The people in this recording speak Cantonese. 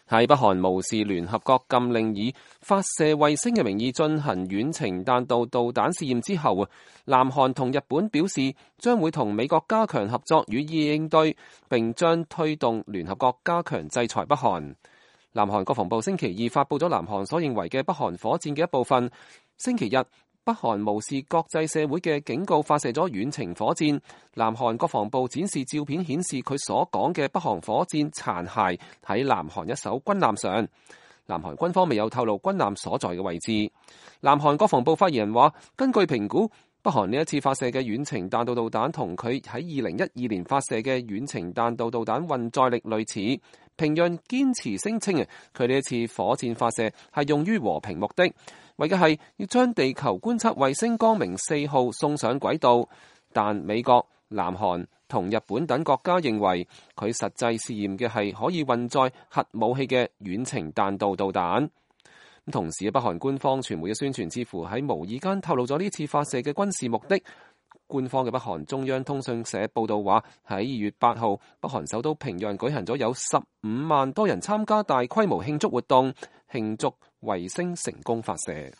喺北韓無視聯合國禁令以發射衛星嘅名義進行遠程彈道導彈試驗之後，南韓同日本表示將會同美國加強合作予以應對，並將推動聯合國加強制裁北韓。南韓國防部星期二發布咗南韓所認為嘅北韓火箭嘅一部分。星期日，北韓無視國際社會嘅警告，發射咗遠程火箭。南韓國防部展示照片，顯示佢所講嘅北韓火箭殘骸喺南韓一艘軍艦上。南韓軍方未有透露軍艦所在嘅位置。南韓國防部發言人話，根據評估，北韓呢一次發射嘅遠程彈道導彈同佢喺2012年發射嘅遠程彈道導彈運載力類似。平壤堅持聲稱佢呢一次火箭發射係用於和平目的，為嘅係要將地球觀測衛星光明4號送上軌道。但美國、南韓同日本等國家認為佢實際試驗嘅係可以運載核武器嘅遠程彈道導彈。同時，北韓官方傳媒嘅宣傳似乎喺無意間透露咗呢次發射嘅軍事目的。官方嘅北韓中央通訊社報道話，喺2月8號，北韓首都平壤舉行咗有15萬多人參加大規模慶祝活動，慶祝衛星成功發射。